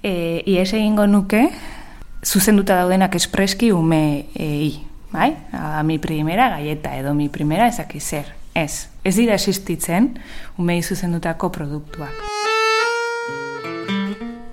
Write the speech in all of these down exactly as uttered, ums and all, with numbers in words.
E, ies egingo nuke, zuzenduta daudenak espreski umeei, bai? A, mi primera galleta edo mi primera ezaki zer. Ez, ez dira existitzen umei zuzendutako produktuak.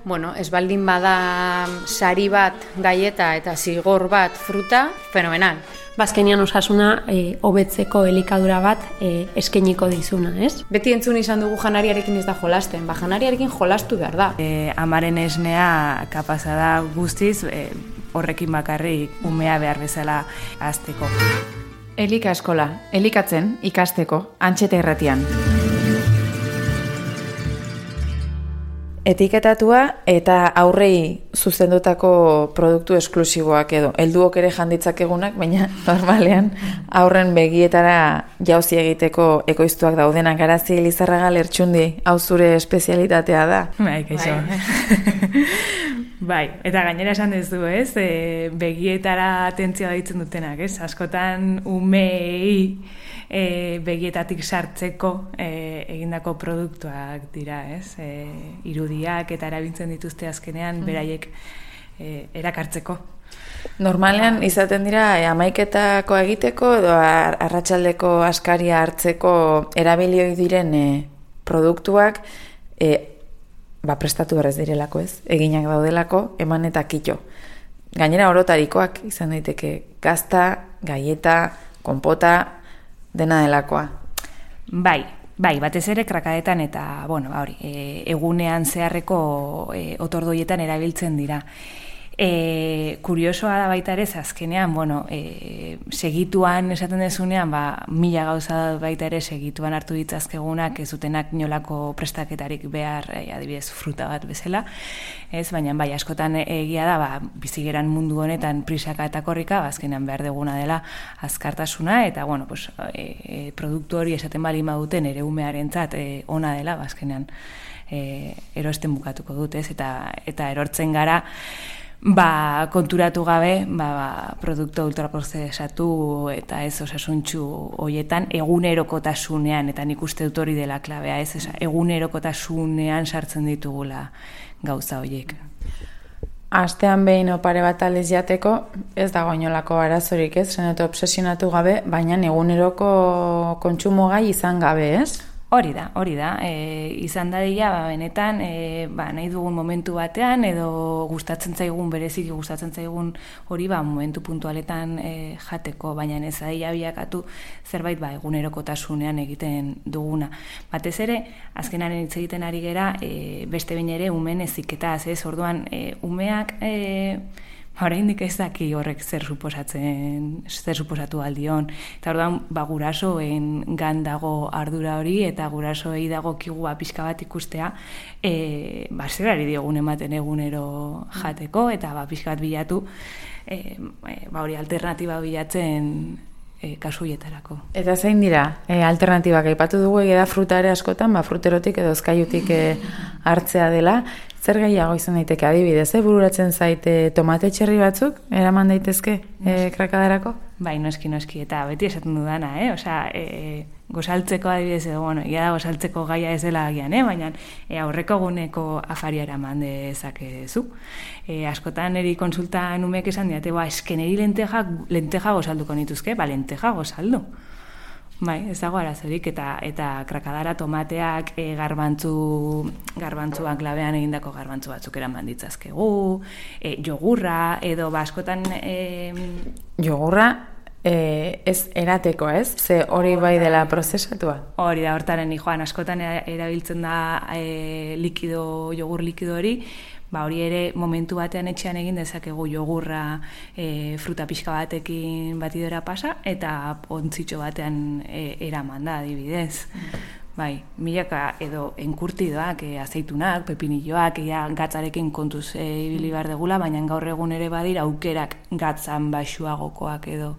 Bueno, ez baldin bada sari bat galleta eta zigor bat fruta, fenomenal. Bazkenian osasuna e, hobetzeko elikadura bat e, eskainiko dizuna, ez? Beti entzun izan dugu janariarekin ez da jolasten, ba janariarekin jolastu behar da. E, amaren esnea kapaza da guztiz, e, horrekin bakarrik umea behar bezala hazteko. Elika eskola, elikatzen ikasteko, Antxeta Irratian. Etiketatua eta aurrei zuzendutako produktu esklusiboak edo helduok ere janditzakegunak, baina normalean aurren begietara jauzi egiteko ekoiztuak daudenak. Garazi Lizarraga Lertxundi, hau zure espezialitatea da. Bai, kaixo. Bai, eta gainera esan duzu, ez? E, begietara atentzioa deitzen dutenak, ez? Askotan umei e, begietatik sartzeko e, egindako produktuak dira, ez? E, irudiak eta erabiltzen dituzte azkenean beraiek e, erakartzeko. Normalean izaten dira e, hamaiketako egiteko edo arratsaldeko askaria hartzeko erabilioi diren e, produktuak e, ba, prestatu berrez direlako, ez? Eginak daudelako, eman eta kito. Gainera orotarikoak izan daiteke gazta, galleta, konpota, dena delakoa. Bai, bai, batez ere krakadetan eta, bueno, hori, e, egunean zeharreko e, otordoietan erabiltzen dira. E, kuriosoa da baita ere, azkenean, bueno, e, segituan esaten dezunean, ba, mila gauza baita ere segituan hartu ditzazkegunak, ez dutenak inolako prestaketarik behar, e, adibidez, fruta bat bezala, ez, baina bai, askotan egia da, ba, bizigeran mundu honetan prisaka eta korrika, ba, azkenean behar deguna dela azkartasuna, eta, bueno, pues, e, e, produktu hori esaten bali maduten ere umearentzat e, ona dela, ba, azkenean e, erosten bukatuko dut, ez, eta, eta erortzen gara, ba, konturatu gabe, ba, ba, produktu ultraprozesatu eta ez osasuntxu hoietan egunerokotasunean, eta nik uste dut hori dela klabea, ez, egunerokotasunean sartzen ditugula gauza horiek. Astean behin opare bat aldiz jateko, ez dago inolako arazorik, ez, zen eta obsesionatu gabe, baina eguneroko kontsumo gai izan gabe, ez? Hori da, hori da. E, izan dadila, ba, benetan, e, ba, nahi dugun momentu batean, edo gustatzen zaigun, bereziki gustatzen zaigun hori, ba, momentu puntualetan e, jateko, baina ez dadila biakatu zerbait, ba, egunerokotasunean egiten duguna. Batez ere, azkenaren hitz egiten ari gera, e, beste behin ere umeen heziketaz, ez, orduan, e, umeak, e, oraindik ez daki horrek zer suposatzen, zer suposatu aldion. Eta orduan, ba, gurasoen gan dago ardura hori, eta gurasoei dago kigua pixka bat ikustea, e, ba, zerari diogun ematen egunero jateko, eta ba, pixka bat bilatu, e, ba, hori alternatiba bilatzen e, kasuietarako. Eta zein dira, e, alternatibak aipatu dugu egia da fruta ere askotan, ba, fruterotik edo ezkaiutik e, hartzea dela. Zer gehiago izan daiteke adibidez, eh? Bururatzen zaite tomate txerri batzuk, eraman daitezke e, krakadarako? Bai, noski, noski, eta beti esaten dudana, eh? Osea, e, gozaltzeko adibidez edo, bueno, ia da gozaltzeko gaia ez dela agian, eh? Baina e, aurreko guneko afaria eraman dezakezu. E, askotan eri konsultan umeek esan diate, ba, eskeneri lenteja, lenteja gozalduko nituzke, ba, lenteja gozaldu. Bai, ez dago arazorik, eta eta krakadara tomateak e, garbantzu, garbantzuak labean egindako garbantzu batzuk eraman ditzazkegu, e, jogurra, edo baskotan... E, jogurra e, ez erateko, ez? Ze hori bai dela prozesatua? Hori da, hortaren joan, askotan erabiltzen da e, likido, jogur likido hori, ba, hori ere momentu batean etxean egin dezakegu jogurra e, fruta pixka batekin batidora pasa eta ontzitxo batean e, eraman da, adibidez. Bai, milaka edo enkurtidoak, e, azeitunak, pepinilloak, ea gatzarekin kontuz e, ibili behar degula, baina gaur egun ere badira aukerak gatzan baxuagokoak edo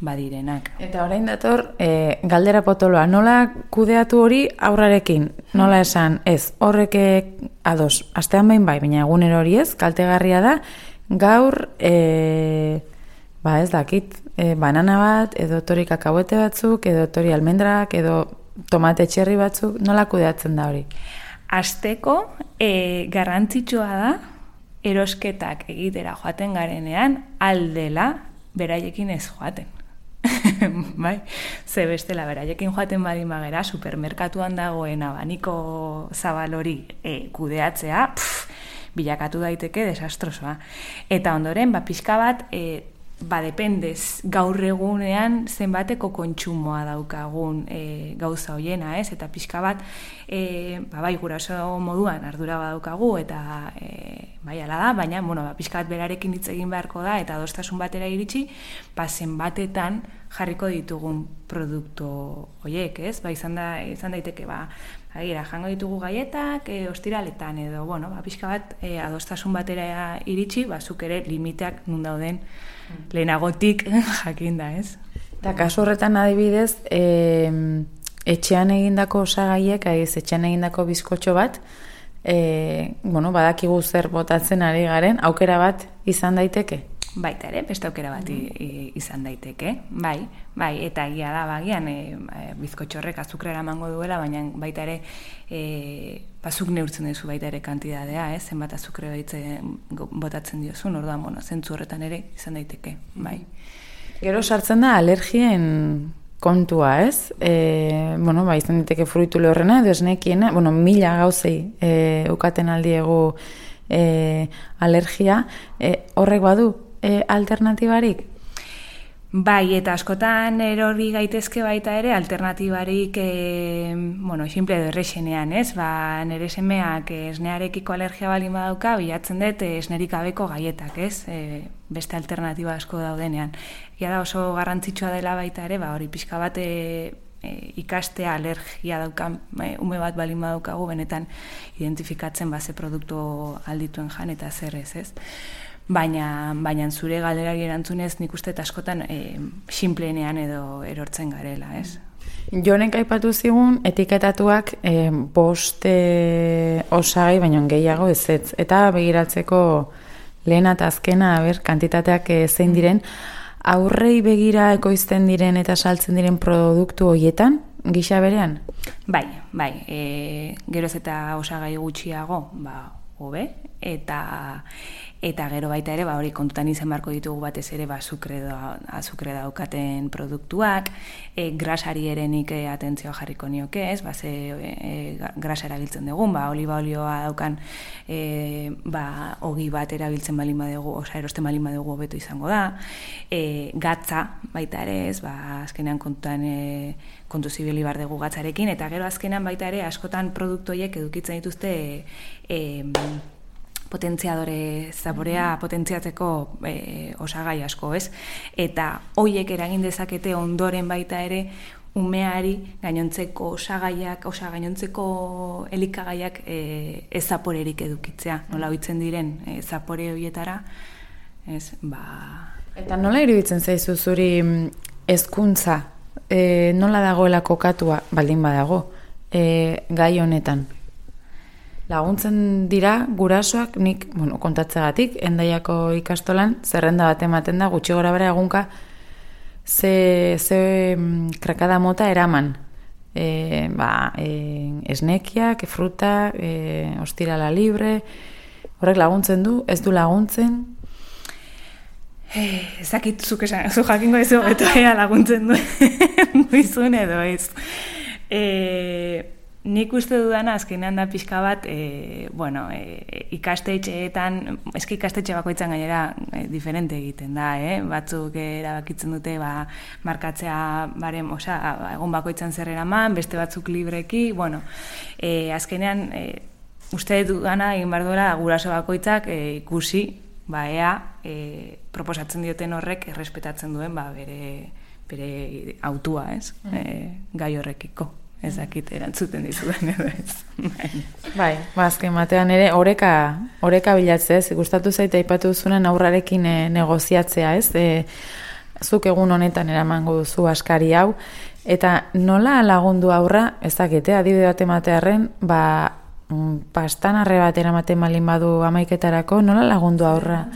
badirenak. Eta orain dator, e, galdera potoloa, nola kudeatu hori aurrarekin? Nola esan, ez, horrek ados, astean behin bai, baina egunero hori ez, kaltegarria da, gaur, e, ba ez dakit, e, banana bat, edo tori kakahuete batzuk, edo tori almendrak, edo tomate txerri batzuk, nola kudeatzen da hori? Asteko e, garrantzitsua da erosketak egitera joaten garenean aldela beraiekin ez joaten. Bai, ze bestela beraiekin joaten badin bagera supermerkatuan dagoen abaniko zabal hori e, kudeatzea, pff, bilakatu daiteke desastrosoa. Eta ondoren, ba, pixka bat, e, ba, dependez, gaur egunean zenbateko kontsumoa daukagun e, gauza hoiena, ez? Eta pixka bat, e, ba, bai, guraso moduan ardura badaukagu, eta e, bai, ala da, baina, bueno, ba, pixka bat berarekin hitz egin beharko da, eta adostasun batera iritsi, ba, zenbatetan jarriko ditugun produktu hoiek, ez? Ba, izan, da, izan daiteke, ba, agira, jango ditugu gaietak, e, ostiraletan edo, bueno, ba, pixka bat, e, adostasun batera iritsi, ba, zuk ere limiteak nun dauden lehenagotik jakin da, ez? Eta kasu horretan adibidez, e, etxean egindako osagaiek, aiz, etxean egindako bizkotxo bat, e, bueno, badakigu zer botatzen ari garen, aukera bat izan daiteke? Baita ere, beste aukera bat mm. izan daiteke, bai, bai, eta egia da, bagian, e, bizkotxorrek azukrera emango duela, baina baita ere, e, bazuk neurtzen duzu baita ere kantidadea, ez, zenbat azukre botatzen diozun, orduan, bueno, zentzu horretan ere izan daiteke, bai. Gero sartzen da alergien kontua, ez? E, bueno, ba, izan daiteke fruitu lehorrena, edo esnekiena, bueno, mila gauzei e, ukaten aldiegu e, alergia, e, horrek badu, E, alternatibarik? Bai, eta askotan erori gaitezke baita ere alternatibarik e, bueno, simple edo errexenean, ez? Ba, nire semeak esnearekiko alergia balin badauka, bilatzen dut esnerik gabeko gaietak, ez? E, beste alternatiba asko daudenean. Ia da oso garrantzitsua dela baita ere, ba, hori pixka bat e, e, ikastea alergia daukan e, ume bat balin badaukagu, benetan identifikatzen ba, ze produktu aldituen jan eta zer ez, ez? Baina, baina zure galderari erantzunez nik uste askotan e, sinpleenean edo erortzen garela, ez? Jonek aipatu zigun etiketatuak e, bost e, osagai baino gehiago ez ez. Eta begiratzeko lehena eta azkena, aber, kantitateak e, zein diren, aurrei begira ekoizten diren eta saltzen diren produktu horietan, gisa berean? Bai, bai, e, geroz eta osagai gutxiago, ba, hobe, eta eta gero baita ere, ba, hori kontutan izan beharko ditugu batez ere, ba, azukre, da, azukre daukaten produktuak, e, grasari ere nik e, atentzioa jarriko nioke, ez, ba, ze e, grasa erabiltzen dugun, ba, oliba olioa daukan, e, ba, ogi bat erabiltzen balin badugu, osa erosten balin badugu hobeto izango da, e, gatza baita ere, ez, ba, azkenean kontutan e, kontu zibili bar dugu gatzarekin, eta gero azkenean baita ere, askotan produktoiek edukitzen dituzte e, e, potentziadore zaborea potentziatzeko e, osagai asko, ez? Eta hoiek eragin dezakete ondoren baita ere umeari gainontzeko osagaiak, osa gainontzeko elikagaiak e, ez zaporerik edukitzea. Nola hoitzen diren e, zapore hoietara, ez? Ba... Eta nola iruditzen zaizu zuri hezkuntza e, nola dagoela kokatua baldin badago e, gai honetan? Laguntzen dira gurasoak, nik, bueno, kontatzegatik, Hendaiako ikastolan, zerrenda bat ematen da, gutxi gora bera egunka, ze, ze krakada mota eraman. E, ba, e, esnekiak, fruta, e, ostirala libre, horrek laguntzen du, ez du laguntzen? Ezakit zuk esan, zu jakingo ez hobeto ea laguntzen du, duizun edo ez. E, Nik uste dudana azkenean da pixka bat, e, bueno, e, ikastetxeetan, eski ikastetxe bakoitzan gainera e, diferente egiten da, eh? Batzuk erabakitzen dute ba, markatzea barem, osa, egon bakoitzan zer eraman, beste batzuk libreki, bueno, e, azkenean e, uste dudana egin behar duela guraso bakoitzak e, ikusi, ba, ea, e, proposatzen dioten horrek errespetatzen duen ba, bere, bere autua, ez? Mm. E, gai horrekiko. Ez dakit erantzuten dizudan edo ez. Bai, bazken batean ere oreka, oreka bilatzea, ez? Gustatu zaite aipatu duzunen aurrarekin e, negoziatzea, ez? E, zuk egun honetan eramango duzu askari hau, eta nola lagundu aurra, ez dakite, adibide bat ematearren, ba, pastanarre bat eramaten malin badu amaiketarako, nola lagundu aurra?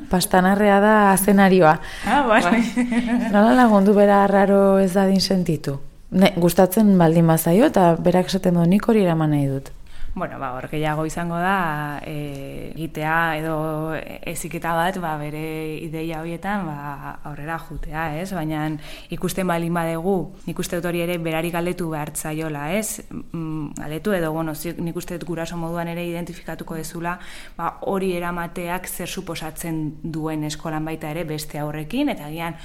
Pastanarrea da zenarioa. Ah, bai. Nola lagundu bera arraro ez dadin sentitu? Ne, gustatzen baldin bazaio eta berak esaten du nik hori eraman nahi dut. Bueno, ba, hor gehiago izango da, e, egitea edo eziketa bat, ba, bere ideia horietan, ba, aurrera jutea, ez? Baina ikusten balin badegu, nik uste dut hori ere berari galdetu behartzaiola, ez? Mm, galdetu edo, bueno, nik uste dut guraso moduan ere identifikatuko dezula, ba, hori eramateak zer suposatzen duen eskolan baita ere beste aurrekin, eta gian,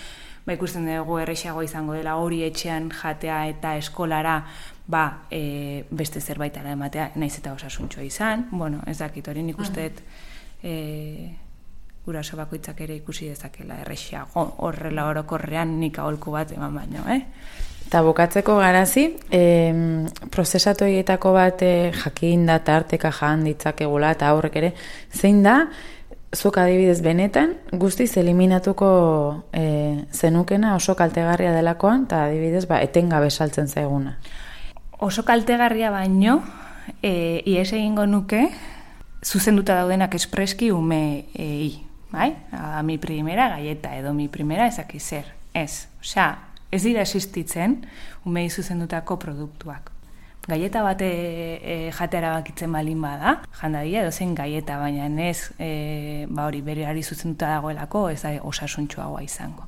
ba, ikusten dugu errexago izango dela hori etxean jatea eta eskolara, ba, e, beste zerbaitara ematea, naiz eta osasuntxoa izan, bueno, ez dakit, hori nik usteet e, guraso bakoitzak ere ikusi dezakela errexago, horrela orokorrean nik aholku bat eman baino, eh? Eta bukatzeko garazi, e, prozesatu egietako bat e, jakin da tarteka jan ditzakegula eta aurrek ere, zein da, zuk adibidez benetan, guztiz eliminatuko e, zenukena oso kaltegarria delakoan, eta adibidez, ba, etengabe saltzen zaiguna. Oso kaltegarria baino, e, ies egingo nuke, zuzenduta daudenak espreski umeei, bai? A, mi primera galleta edo mi primera ezaki zer, ez. Osea, ez dira existitzen umei zuzendutako produktuak. Galleta bate e, jateara bakitzen balin bada, jandadia edo zen galleta, baina ez e, ba hori bereari zuzenduta dagoelako ez da osasuntsuagoa izango.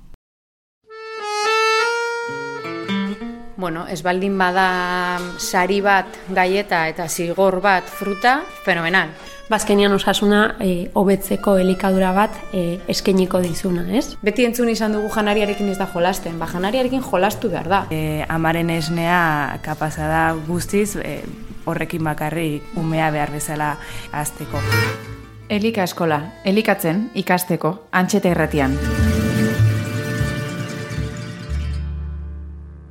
Bueno, ez baldin bada sari bat galleta eta zigor bat fruta, fenomenal. Bazkenian osasuna e, hobetzeko elikadura bat e, eskainiko dizuna, ez? Beti entzun izan dugu janariarekin ez da jolasten, ba janariarekin jolastu behar da. E, amaren esnea kapaza da guztiz, e, horrekin bakarrik umea behar bezala hazteko. Elika eskola, elikatzen ikasteko, Antxeta Irratian.